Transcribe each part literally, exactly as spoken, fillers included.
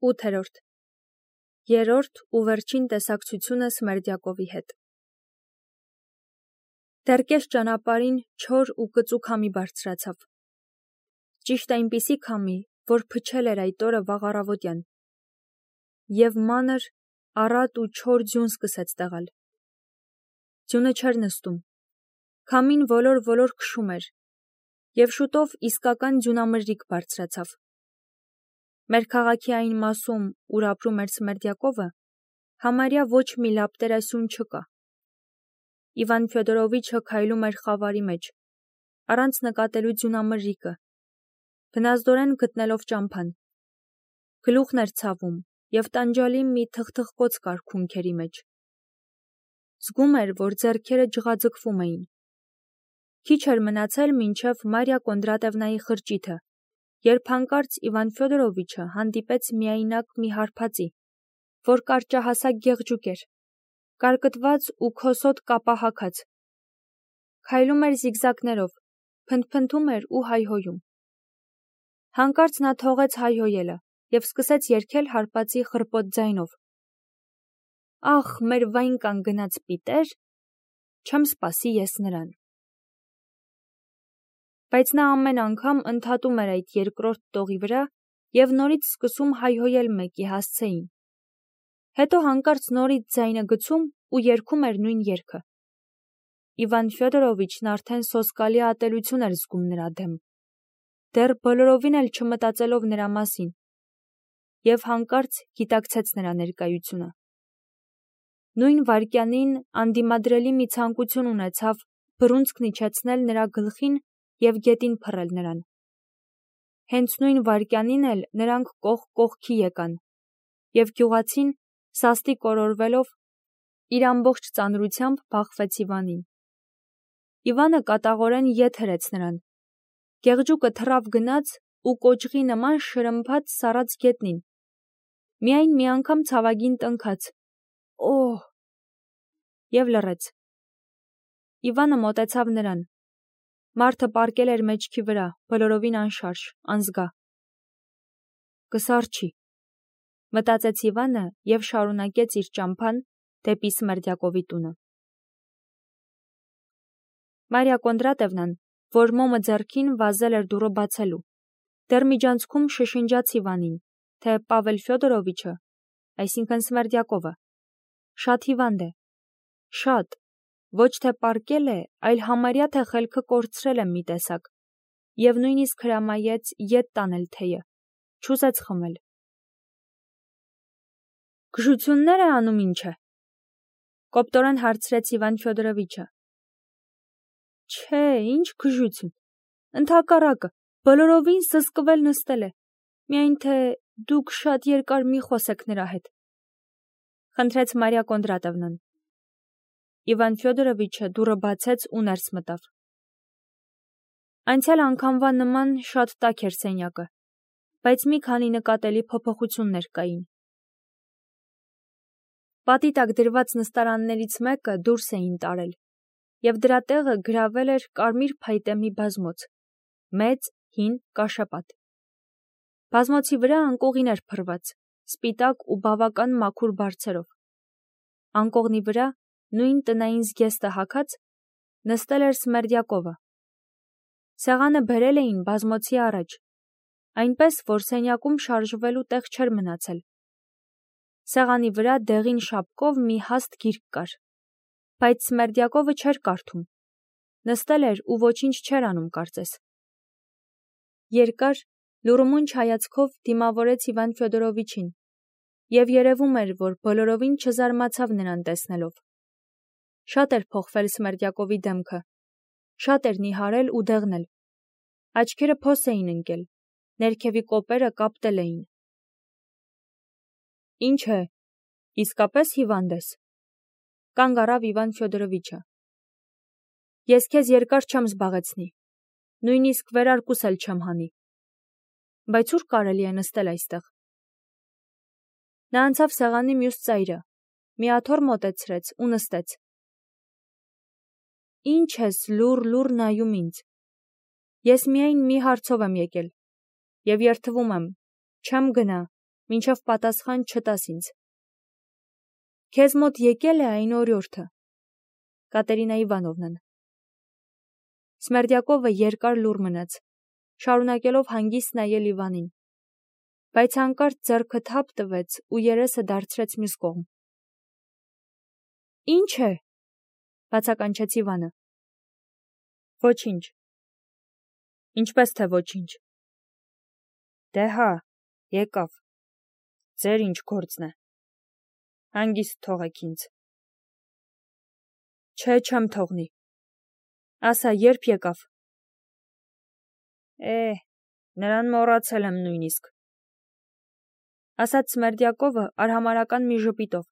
ութերորդ. Երրորդ ու վերջին տեսակցությունը Սմերդյակովի հետ։ Դեռ կես ճանապարհին չոր ու կծու քամի բարձրացավ։ Ճիշտ այնպիսի քամի, որ փչել էր այդ օրը վաղ առավոտյան, և մանր, առատ ու չոր ձյուն սկսեց տեղալ։ Ձյունը չէր նստում, քամին ոլոր-ոլոր քշում էր, և շուտով իսկական ձյունամրրիկ բարձրացավ։ Մեր քաղաքի այն մասում, ուր ապրում էր Սմերդյակովը, համարյա ոչ մի լապտերասյուն չկա։ Իվան Ֆյոդորովիչը քայլում էր խավարի մեջ, առանց նկատելու ձյունամրրիկը, բնազդորեն գտնելով ճամփան։ Գլուխն էր ցավում, և տանջալի մի թխթխկոց կար քունքերի մեջ։ Զգում էր, որ ձեռքերը ջղաձգվում էին։ Քիչ էր մնացել մինչև Մարիա Կոնդրատևնայի խրճիթը, երբ հանկարծ Իվան Ֆյոդորովիչը հանդիպեց միայնակ մի հարբածի, որ կարճահասակ գեղջուկ էր, կարկտված ու քոսոտ կապահագած։ Քայլում էր զիգզագներով, փնթփնթում էր ու հայհոյում։ Հանկարծ նա թողեց հայհոյելը և սկսեց երգել հարբածի խռպոտ ձայնով. «Ախ, մեր վայնկան գնաց պիտեր, չեմ սպասի ես նրան»։ Բայց նա ամեն անգամ ընդհատում էր այդ երկրորդ տողի վրա և նորից սկսում հայհոյել մեկի հասցեին։ Հետո հանկարծ նորից ձայնը գցում ու երգում էր նույն երգը։ Իվան Ֆյոդորովիչն արդեն սոսկալի ատելություն էր զգում նրա դեմ, դեռ բոլորովին էլ չմտածելով նրա մասին, և հանկարծ գիտակցեց նրա ներկայությունը։ Նույն վայրկյանին անդիմադրելի մի ցանկություն ունեցավ բռունցքն իջեցնել նրա գլխին և գետին փռել նրան։ Հենց նույն վայրկյանին էլ նրանք կողք կողքի եկան, և գյուղացին, սաստիկ օրորվելով, իր ամբողջ ծանրությամբ բախվեց Իվանին։ Իվանը կատաղորեն ետ հրեց նրան։ Գեղջուկը թռավ գնաց ու կոճղի նման շրմփաց սառած գետնին։ Միայն մի անգամ ցավագին տնքաց. «Օհ», և լռեց։ Իվանը մոտեցավ նրան։ Մարդը պառկել էր մեջքի վրա, բոլորովին անշարժ, անզգա։ «Կսառչի», մտածեց Իվանը և շարունակեց իր ճամփան դեպի Սմերդյակովի տունը։ Մարիա Կոնդրատևնան, որ մոմը ձեռքին վազել էր դուռը բացելու, դեռ միջանցքում շշնջաց Իվանին, թե Պավել Ֆյոդորովիչը, այսինքն Սմերդյակովը, շատ հիվանդ է, շատ, ոչ թե պառկել է, այլ համարյա թե խելքը կորցրել է մի տեսակ, և նույնիսկ հրամայեց ետ տանել թեյը, չուզեց խմել։ «Գժություննե՞ր է անում, ինչ է», կոպտորեն հարցրեց Իվան Ֆյոդորովիչը։ «Չէ, ինչ գժություն, ընդհակառակը, բոլորովին սսկվել նստել է, միայն թե դուք շատ երկար մի խոսեք նրա հետ», խնդրեց Մարիա Կոնդրատևնան։ Իվան Ֆյոդորովիչը դուռը բացեց ու ներս մտավ։ Անցյալ անգամվա նման շատ տաք էր սենյակը, բայց մի քանի նկատելի փոփոխություններ կային։ Պատի տակ դրված նստարաններից մեկը դուրս էին տարել, և դրա տեղը գրավել էր կարմիր փայտե մի բազմոց, մեծ, հին, կաշեպատ։ Բազմոցի վրա անկողին էր փռված, սպիտակ ու բավական մաքուր բարձերով։ Անկողնի վրա, նույն տնային զգեստը հագած, նստել էր Սմերդյակովը։ Սեղանը բերել էին բազմոցի առաջ, այնպես, որ սենյակում շարժվելու տեղ չէր մնացել։ Սեղանի վրա դեղին շապկով մի հաստ գիրք կար, բայց Սմերդյակովը չէր կարդում, նստել էր ու ոչինչ չէր անում կարծես։ Երկար, լուրումունջ հայացքով դիմավորեց Իվան Ֆյոդորովիչին, և երևում էր, որ բոլորովին չզարմացավ նրան տեսնելով։ Շատ էր փոխվել Սմերդյակովի դեմքը, շատ էր նիհարել ու դեղնել, աչքերը փոս էին ընկել, ներքևի կոպերը կապտել էին։ «Ինչ է, իսկապես հիվանդ ես», կանգ առավ Իվան Ֆյոդորովիչը։ «Ես քեզ երկար չեմ զբաղեցնի, նույնիսկ վերարկուս էլ չեմ հանի, բայց ուր կարելի է նստել այստեղ»։ Նա անցավ սեղանի մյուս ծայրը, մի աթոռ մոտեցրեց ու նստեց։ «Ինչ ես լուռ-լուռ նայում ինձ, ես միայն մի հարցով եմ եկել, և երդվում եմ, չեմ գնա, մինչև պատասխան չտաս ինձ։ Քեզ մոտ եկել է այն օրիորդը, Կատերինա Իվանովնան։ Սմերդյակովը երկար լուռ մնաց, շարունակելով հանգիստ նայել Իվանին, բայց հանկարծ ձեռքը թափ տվեց ու երեսը դարձրեց մյուս կողմ։ Ինչ է, բացականչեց Իվանը։ Ոչինչ։ Ինչպես թե ոչինչ։ Դե հա, եկավ։ Ձեր ինչ գործն է։ Հանգիստ թողեք ինձ։ Չէ, չեմ թողնի։ Ասա, երբ եկավ։ Է, նրան մոռացել եմ նույնիսկ։ Ասաց Սմերդյակովը արհամարհական մի ժպիտով։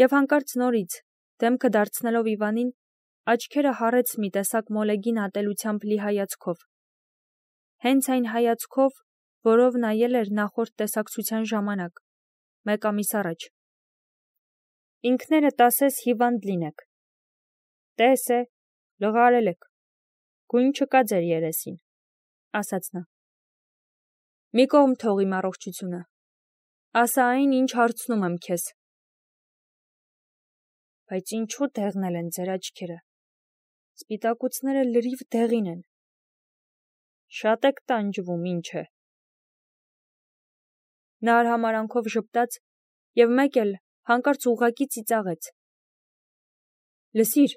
Եվ հանկարծ նորից, դեմքը դարձնելով Իվանին, աչքերը հառեց մի տեսակ մոլեգին ատելությամբ լի հայացքով։ Հենց այն հայացքով, որով նայել էր նախորդ տեսակցության ժամանակ, մեկ ամիս առաջ։ Ինքներդ ասես հիվանդ լինեք։ Տես է, լղարել եք, գույն չկա ձեր երեսին, ասաց նա։ Մի կողմ թող իմ առողջությունը, ասա այն, ինչ հարցնում եմ քեզ։ Բայց ինչու դեղնել են ձեր աչքերը, սպիտակուցները լրիվ դեղին են։ Շատ եք տանջվում, ինչ է։ Նա արհամարանքով ժպտաց և մեկ էլ հանկարծ ուղղակի ծիծաղեց։ Լսիր,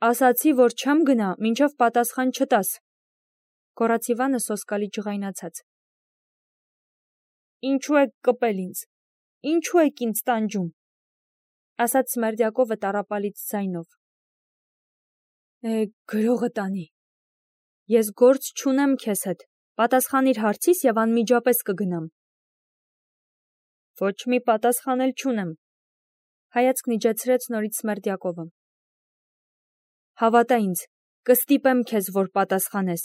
ասացի, որ չեմ գնա, մինչև պատասխան չտաս, գոռաց Իվանը սոսկալի ջղայնացած։ Ինչու եք կպել ինձ, ինչու եք ինձ տանջում, ասաց Սմերդյակովը տառապալից ձայնով։ Է, գրողը տանի։ Ես գործ չունեմ քեզ հետ, պատասխանիր հարցիս և անմիջապես կգնամ։ Ոչ մի պատասխան էլ չունեմ, հայացքն իջեցրեց նորից Սմերդյակովը։ Հավատա ինձ, կստիպեմ քեզ, որ պատասխանես։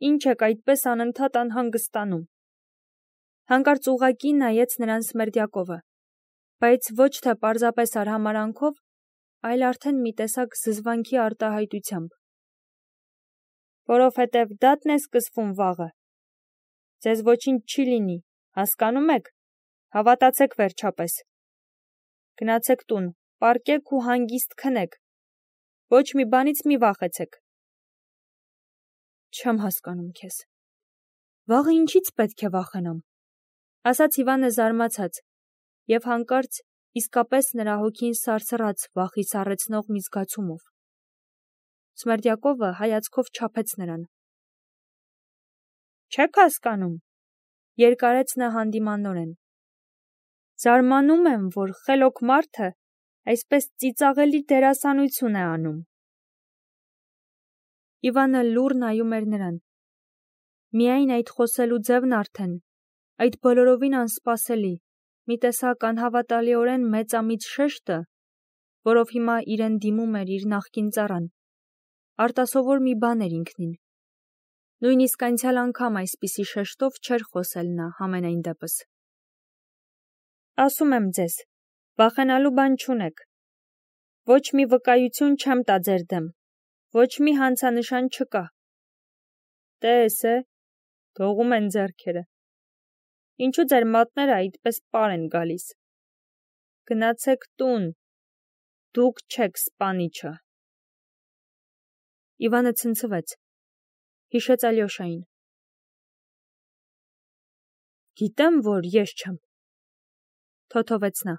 Ինչ եք այդպես անընդհատ անհանգստանում։ Հանկարծ ուղղակի նայեց նրան Սմերդյակովը, բայց ոչ թե պարզապես արհամարանքով, այլ արդեն մի տեսակ զզվանքի արտահայտությամբ։ Որովհետև դատն է սկսվում վաղը։ Ձեզ ոչինչ չի լինի, հասկանում եք, հավատացեք վերջապես։ Գնացեք տուն, պառկեք ու հանգիստ քնեք, ոչ մի բանից մի վախեցեք։ Չեմ հասկանում քեզ։ Վաղը ինչից պետք է վախենամ, ասաց Իվանը զարմացած, և հանկարծ իսկապես նրա հոգին սարսռաց վախի սառեցնող մի զգացումով։ Սմերդյակովը հայացքով չափեց նրան։ Չեք հասկանում, երկարեց նա հանդիմանորեն։ Զարմանում եմ, որ խելոք մարդը այսպես ծիծաղելի դերասանություն է անում։ Իվանը լուռ նայում էր նրան։ Միայն այդ խոսելու ձևն արդեն, այդ բոլորովին անսպասելի, մի տեսակ անհավատալիորեն մեծամիծ շեշտը, որով հիմա իրեն դիմում էր իր նախկին ծառան, արտասովոր մի բան էր ինքնին։ Նույնիսկ անցյալ անգամ այսպիսի շեշտով չէր խոսել նա համենայն դեպս։ Ասում եմ ձեզ, վախենալու բան չունեք։ Ոչ մի վկայություն չեմ տա ձեր դեմ, ոչ մի հանցանշան չկա։ Տես է, դողում են ձեռքերը։ Ինչու ձեր մատները այդպես պար են գալիս։ Գնացեք տուն, դուք չեք սպանիչը։ Իվանը ցնցվեց, հիշեց Ալյոշային։ Գիտեմ, որ ես չեմ, թոթովեց նա։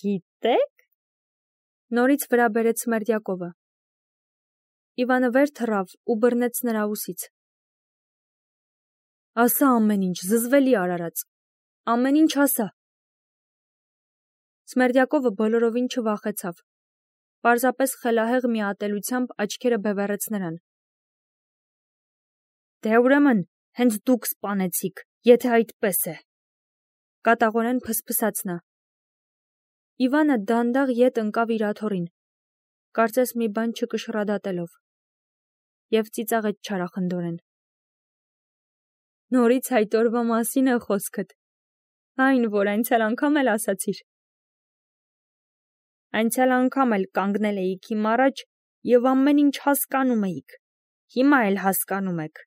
Գիտեք։ Նորից վրա բերեց Սմերդյակովը։ Իվանը վեր թռավ ու բռնեց նրա ուսից։ Ասա ամեն ինչ, զզվելի արարած, ամեն ինչ ասա։ Սմերդյակովը բոլորովին չվախեցավ, պարզապես խելահեղ մի ատելությամբ աչքերը բևեռեց նրան։ Դե ուրեմն, հենց դուք սպանեցիք, եթե այդպես է, կատաղորեն փսփսաց նա։ Իվանը դանդաղ ետ ընկավ իր աթոռին, կարծես մի բան չկշռադատելով, և ծիծաղեց չարախնդորեն։ Նորից այդ օրվա մասին է խոսքդ, այն, որ անցյալ անգամ էլ ասացիր։ Անցյալ անգամ էլ կանգնել էիք իմ առաջ և ամեն ինչ հասկանում էիք, հիմա էլ հասկանում եք։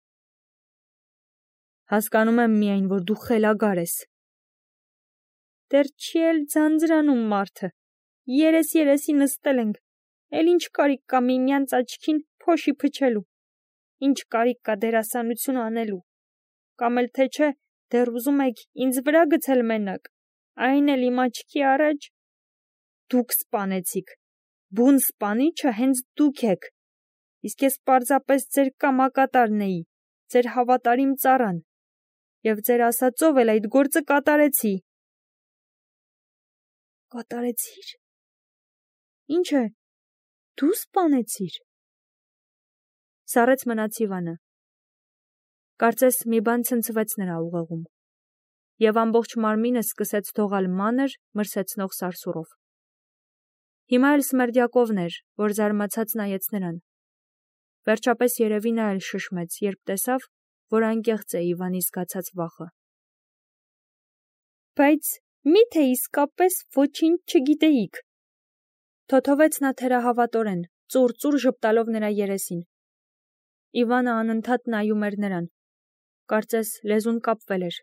Հասկանում եմ միայն, որ դու խելագար ես։ Դեռ չի էլ ձանձրանում մարդը։ Երես-երեսի նստել ենք, էլ ինչ կարիք կա միմյանց աչքին փոշի փչելու, ինչ կարիք կա դերասանություն անելու, կամ էլ թե չէ, դեռ ուզում եք ինձ վրա գցել մենակ, այն էլ իմ աչքի առաջ։ Դուք սպանեցիք, բուն սպանիչը հենց դուք եք, իսկ ես պարզապես ձեր կամակատարն էի, ձեր հավատարիմ ծառան, և ձեր ասածով էլ այդ գործը կատարեցի։ Կատարեցի՞ր։ Ինչ է, դու սպանեցիր։ Սառեց մնաց Իվանը։ Կարծես մի բան ցնցվեց նրա ուղեղում, և ամբողջ մարմինը սկսեց դողալ մանր, մրսեցնող սարսուռով։ Հիմա էլ Սմերդյակովն էր, որ զարմացած նայեց նրան։ Վերջապես երևի նա էլ շշմեց, երբ տեսավ, որ անկեղծ է Իվանի զգացած վախը։ Բայց մի՞թե իսկապես ոչինչ չգիտեիք, թոթովեց նա թերահավատորեն, ծուռ-ծուռ ժպտալով նրա երեսին։ Իվանը անընդհատ նայում էր նրան, կարծես լեզուն կապվել էր։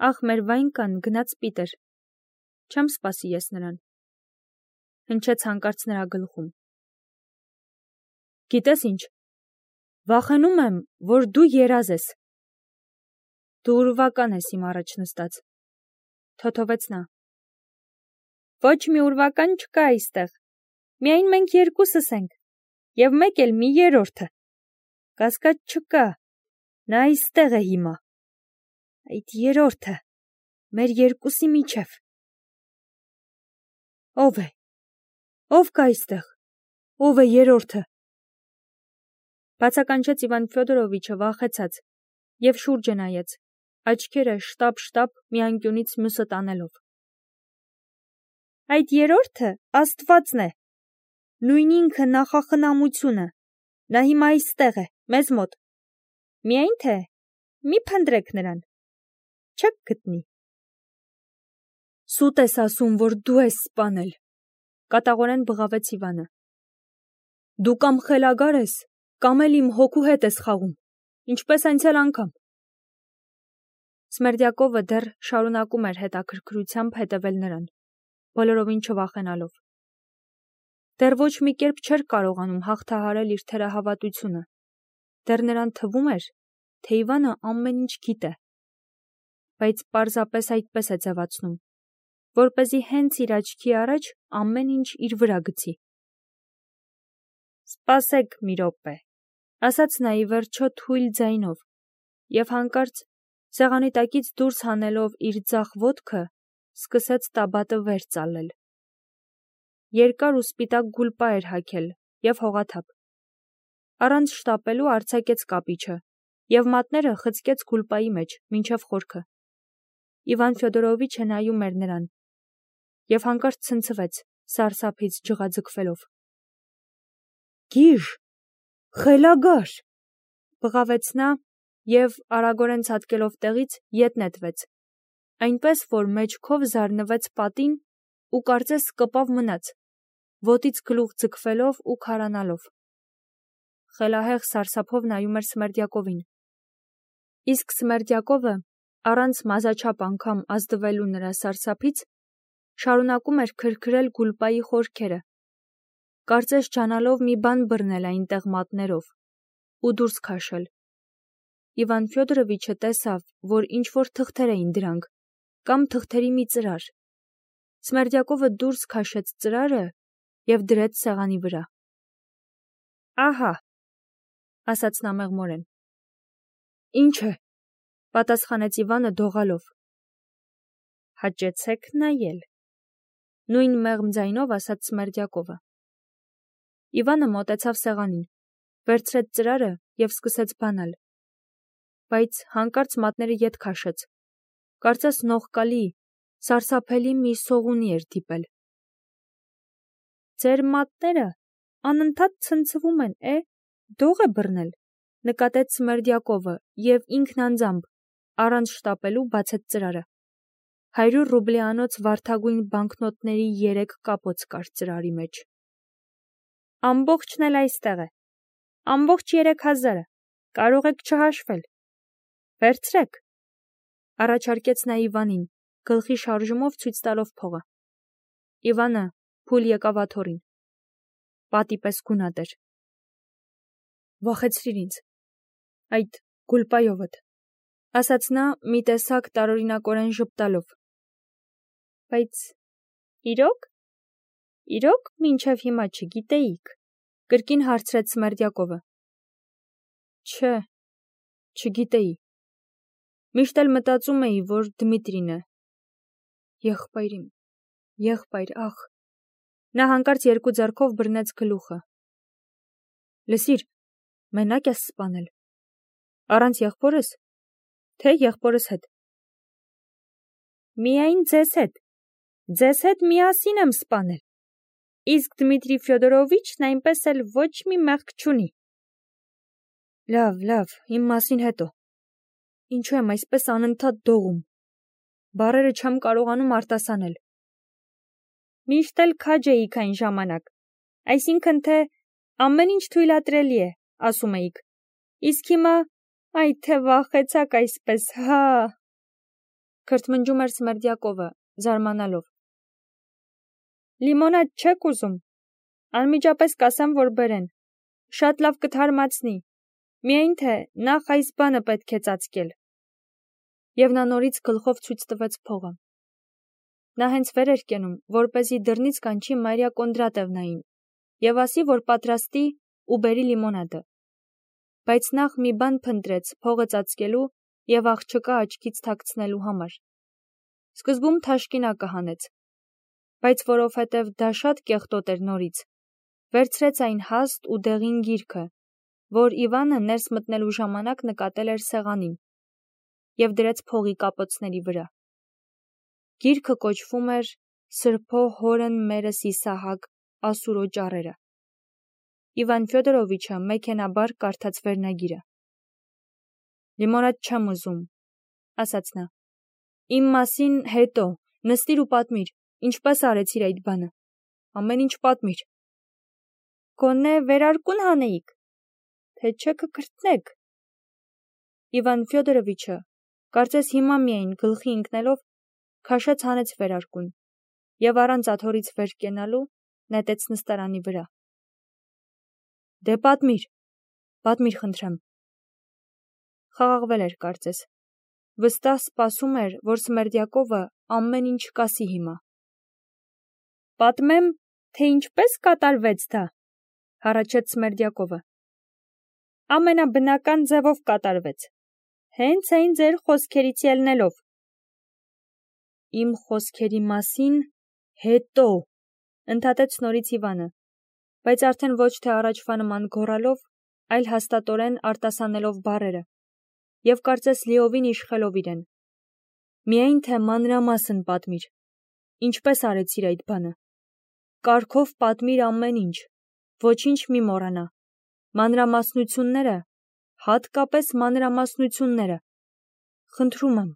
Ախ, մեր Վայնկան գնաց պիտր, չեմ սպասի ես նրան, հնչեց հանկարծ նրա գլխում։ Գիտես ինչ, վախենում եմ, որ դու երազ ես։ Դու ուրվական ես իմ առաջ նստած, թոթովեց նա։ Ոչ մի ուրվական չկա այստեղ, միայն մենք երկուսս ենք, և մեկ էլ մի երրորդը։ Կասկած չկա, նա այստեղ է հիմա։ Այդ երրորդը, մեր երկուսի միջև։ Ո՞վ է, ով կա այստեղ, ով է երրորդը։ Բացականչեց Իվան Ֆյոդորովիչը վախեցած և շուրջը նայեց, աչքերը շտապ-շտապ մի անկյունից մյուսը տանելով։ Այդ երրորդը Աստվածն է, նույն ինքը նախախնամությունը, նա հիմա այստեղ է, մեզ մոտ։ Միայն թե մի փնտրեք նրան, չեք գտնի։ Սուտ ես ասում, որ դու ես սպանել, կատաղորեն բղավեց Իվանը։ Դու կամ խելագար ես, կամ էլ իմ հոգու հետ ես խաղում, ինչպես անցյալ անգամ։ Սմերդյակովը դեռ շարունակում էր հետաքրքրությամբ հետևել նրան, բոլորովին չվախենալով։ Դեռ ոչ մի կերպ չէր կարողանում հաղթահարել իր թերահավատությունը, դեռ նրան թվում էր, թե Իվանը ամեն ինչ գիտե, բայց պարզապես այդպես է ձևացնում, որպեսզի հենց իր աչքի առաջ ամեն ինչ իր վրա գցի։ Սպասեք մի րոպե, ասաց նա ի վերջո թույլ ձայնով, և հանկարծ սեղանի տակից դուրս հանելով իր ձախ ոտքը, սկսեց տաբատը վեր ծալել։ Երկար ու սպիտակ գուլպա էր հագել և հողաթափ։ Առանց շտապելու արձակեց կապիչը և մատները խցկեց գուլպայի մեջ մինչև խորքը։ Իվան Ֆյոդորովիչը նայում էր նրան և հանկարծ ցնցվեց, սարսափից ջղաձգվելով։ Գիժ, խելագար, բղավեց նա և արագորեն ցատկելով տեղից ետ նետվեց, այնպես որ մեջքով զարնվեց պատին ու կարծես կպավ մնաց, ոտից գլուխ ձգվելով ու քարանալով։ Խելահեղ սարսափով նայում էր Սմերդյակովին։ Իսկ Սմերդյակովը, առանց մազաչափ անգամ ազդվելու նրա սարսափից, շարունակում էր քրքրել գուլպայի խորքերը, կարծես ջանալով մի բան բռնել այնտեղ մատներով ու դուրս քաշել։ Իվան Ֆյոդորովիչը տեսավ, որ ինչ-որ թղթեր էին դրանք, կամ թղթերի մի ծրար։ Սմերդյակովը դուրս քաշեց ծրարը և դրեց սեղանի վրա։ Ահա, ասաց նա մեղմորեն։ Ինչ է, պատասխանեց Իվանը դողալով։ Հաճեցեք նայել, նույն մեղմ ձայնով ասաց Սմերդյակովը։ Իվանը մոտեցավ սեղանին, վերցրեց ծրարը և սկսեց բանալ, բայց հանկարծ մատները ետ քաշեց, կարծես նողկալի, սարսափելի մի սողունի էր դիպել։ Ձեր մատները անընդհատ ցնցվում են, է, դող է բռնել, նկատեց Սմերդյակովը և ինքն անձամբ, առանց շտապելու բացեց ծրարը։ Հարյուր ռուբլյանոց վարդագույն բանկնոտների երեք կապոց կար ծրարի մեջ։ Ամբողջն էլ այստեղ է, ամբողջ երեք հազարը, կարող եք չհաշվել։ Վերցրեք, առաջարկեց նա Իվանին, գլխի շարժումով ցույց տալով փողը։ Իվանը փուլ եկավ աթոռին։ Պատի պես գունատ էր։ Վախեցրիր ինձ, այդ գուլպայովդ, ասաց նա մի տեսակ տարօրինակորեն ժպտալով։ Բայց իրոք, իրոք մինչև հիմա չգիտեիք, կրկին հարցրեց Սմերդյակովը։ Չէ, չգիտեի։ Միշտ էլ մտածում էի, որ Դմիտրին է։ Եղբայր իմ, եղբայր, ախ։ Նա հանկարծ երկու ձեռքով բռնեց գլուխը։ Լսիր, մենակ ես սպանել։ Առանց եղբորս, թե եղբորս հետ։ Միայն ձեզ հետ, ձեզ հետ միասին եմ սպանել։ Իսկ Դմիտրի Ֆյոդորովիչն այնպես էլ ոչ մի մեղք չունի։ Լավ, լավ, իմ մասին հետո։ Ինչու եմ այսպես անընդհատ դողում։ Բառերը չեմ կարողանում արտասանել։ Միշտ էլ քաջ էիք այն ժամանակ, այսինքն թե ամեն ինչ թույլատրելի է, ասում էիք։ Իսկ հիմա, այ թե վախեցաք այսպես, հա։ Քրթմնջում էր Սմերդյակովը, զարմանալով։ Լիմոնադ չեք ուզում։ Անմիջապես կասեմ, որ բերեն։ Շատ լավ կթարմացնի։ Միայն թե նախ այս բանը պետք է ծածկել։ Եվ նա նորից գլխով ցույց տվեց փողը։ Նա հենց վեր էր կենում, որպեսզի դռնից կանչի Մարիա Կոնդրատևնային եւ ասի, որ պատրաստի ու բերի լիմոնադը։ Բայց նախ մի բան փնտրեց փողը ծածկելու եւ աղջկա աչքից թաքցնելու համար։ Սկզբում թաշկինակը հանեց, բայց որովհետև դա շատ կեղտոտ էր նորից, վերցրեց այն հաստ ու դեղին գիրքը, որ Իվանը ներս մտնելու ժամանակ նկատել էր սեղանին, եւ դրեց փողի կապոցների վրա։ Գիրքը կոչվում էր Սրբո հորն մերս Իսահակ ասուրո ճառերը։ Իվան Ֆյոդորովիչը մեքենաբար կարդաց վերնագիրը։ Լիմոնադ չեմ ուզում, ասաց նա։ Իմ մասին հետո, նստիր ու պատմիր, ինչպես արեցիր այդ բանը։ Ամեն ինչ պատմիր։ Գոնե վերարկուն հանեիք, թե չէ կկրտնեք։ Իվան Ֆյոդորովիչը, կարծես հիմա միայն գլխի ընկնելով, քաշեց հանեց վերարկուն եւ առանց աթոռից վեր կենալու նետեց նստարանի վրա։ Դե պատմիր, պատմիր խնդրեմ։ Խաղաղվել էր կարծես։ Վստահ սպասում էր, որ Սմերդյակովը ամեն ինչ կասի հիմա։ Պատմեմ, թե ինչպես կատարվեց դա, հառաչեց Սմերդյակովը։ Ամենաբնական ձևով կատարվեց, հենց այն ձեր խոսքերից ելնելով։ Իմ խոսքերի մասին հետո, ընդհատեց նորից Իվանը, բայց արդեն ոչ թե առաջվա նման գոռալով, այլ հաստատորեն արտասանելով բառերը, եւ կարծես լիովին իշխելով իրեն։ Միայն թե մանրամասն պատմիր, ինչպես արեցիր այդ բանը։ Կարգով պատմիր ամեն ինչ, ոչինչ մի մոռանա։ Մանրամասնությունները, հատկապես մանրամասնությունները։ Խնդրում եմ։